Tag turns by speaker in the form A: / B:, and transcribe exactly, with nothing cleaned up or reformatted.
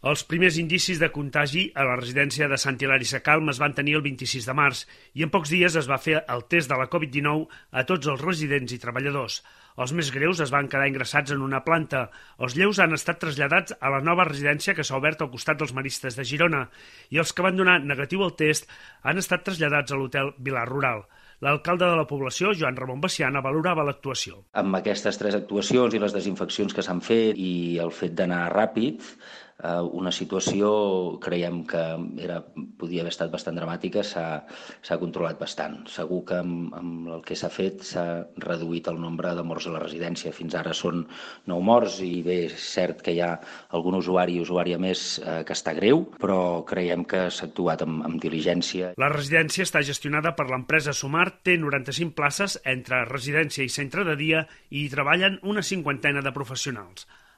A: Els primers indicis de contagi a la residència de Sant Hilari Sacalm es van tenir el vint-i-sis de març i en pocs dies es va fer el test de la covid dinou a tots els residents i treballadors. Els més greus es van quedar ingressats en una planta. Els lleus han estat traslladats a la nova residència que s'ha obert al costat dels Maristes de Girona i els que van donar negatiu al test han estat traslladats a l'hotel Vilar Rural. L'alcalde de la població, Joan Ramon Veciana, valorava l'actuació.
B: Amb aquestes tres actuacions i les desinfeccions que s'han fet i el fet d'anar ràpid, una situació, creiem que era, podia haver estat bastant dramàtica, s'ha controlat bastant. Segur que amb, amb el que s'ha fet s'ha reduït el nombre de morts a la residència. Fins ara són nou morts i bé, és cert que hi ha algun usuari i usuària més eh, que està greu, però creiem que s'ha actuat amb, amb diligència.
A: La residència està gestionada per l'empresa Sumar, té noranta-cinc places entre residència i centre de dia i hi treballen una cinquantena de professionals.